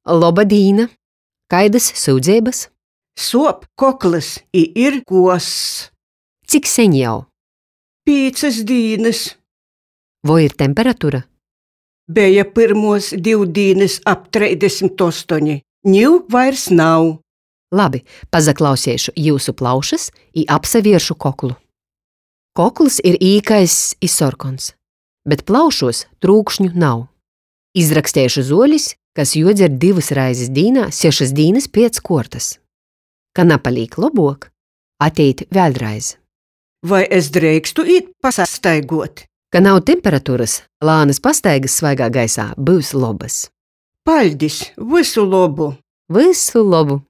Loba dīna! Kaidys syudzeibys? Suop koklys i ir kuoss. Cik seņ jau? Pīcys dīnys. Voi ir temperatura? Beja pyrmuos div dīnys ap 38, niu vairs nav. Labi, pazaklauseišu jiusu plaušys i apsavieršu koklu. Kokls ir īkaiss i sorkons, bet plaušuos trūkšņu nav. Izraksteišu zuolis, kas juodzer divys reizis dīnā sešys dīnys piec kuortys. Ka napalīk lobuok, atejit vēļreiz. Voi es dreikstu īt pasastaiguot? Ka nav temperaturys, lānys pastaigys svaigā gaisā byus lobys. Paļdis! Vysu lobu! Vysu lobu!